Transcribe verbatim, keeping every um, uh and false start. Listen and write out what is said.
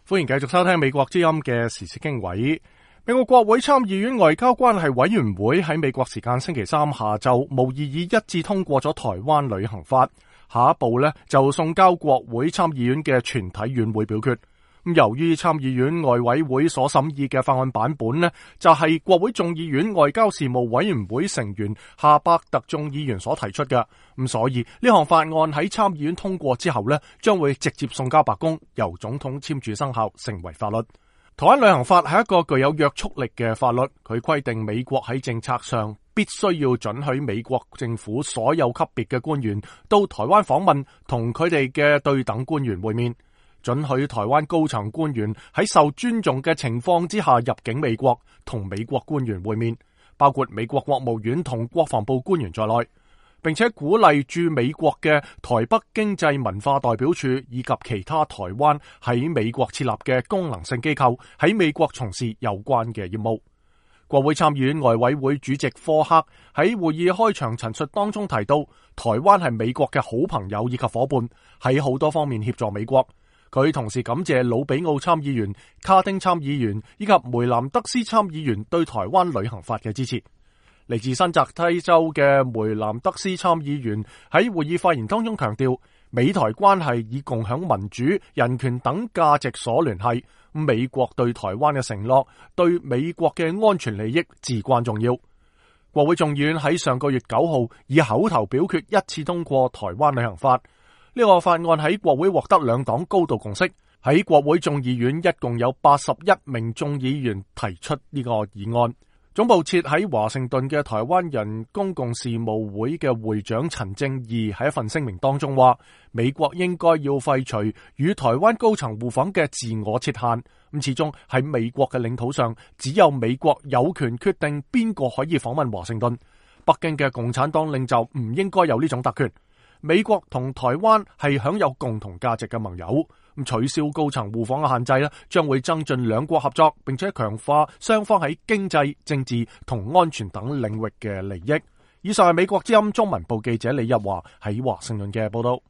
歡迎繼續收聽美國之音嘅時事經緯。美國國會參議院外交關係委員會喺美國時間星期三下晝無異議一致通過咗台灣旅行法，下一步呢就送交國會參議院嘅全體院會表決。由於參議院外委會所審議嘅法案版本呢，就係、是、國會眾議院外交事務委員會成員夏伯特眾議員所提出嘅，咁所以呢項法案喺參議院通過之後呢，將會直接送交白宮，由總統簽署生效，成為法律。台灣旅行法係一個具有約束力嘅法律，佢規定美國喺政策上必須要准許美國政府所有級別嘅官員到台灣訪問，同佢哋嘅對等官員會面。准許台灣高層官員喺受尊重嘅情況之下入境美國，同美國官員會面，包括美國國務院同國防部官員在內，並且鼓勵駐美國嘅台北經濟文化代表處以及其他台灣喺美國設立嘅功能性機構喺美國從事有關嘅業務。國會參議院外委會主席科克喺會議開場陳述當中提到，台灣係美國嘅好朋友以及夥伴，喺好多方面協助美國。佢同時感謝魯比奧參議員、卡丁參議員以及梅南德斯參議員對台灣旅行法嘅支持。嚟自新澤西州嘅梅南德斯參議員喺會議發言當中強調，美台關係以共享民主、人權等價值所聯繫，美國對台灣嘅承諾對美國嘅安全利益至關重要。國會眾議院喺上個月九號以口頭表決一致通過台灣旅行法。呢個法案喺國會獲得兩黨高度共識，喺國會眾議院一共有八十一名眾議員提出呢個議案。總部設喺華盛頓嘅台灣人公共事務會嘅會長陳正義喺一份聲明當中話，美國應該要廢除與台灣高層互訪嘅自我設限。咁始終喺美國嘅領土上，只有美國有權決定邊個可以訪問華盛頓。北京嘅共產黨領袖唔應該有呢種特權。美國同台灣係享有共同價值嘅盟友，咁取消高層互訪嘅限制咧，將會增進兩國合作，並且強化雙方喺經濟、政治同安全等領域嘅利益。以上係美國之音中文部記者李日華喺華盛頓嘅報道。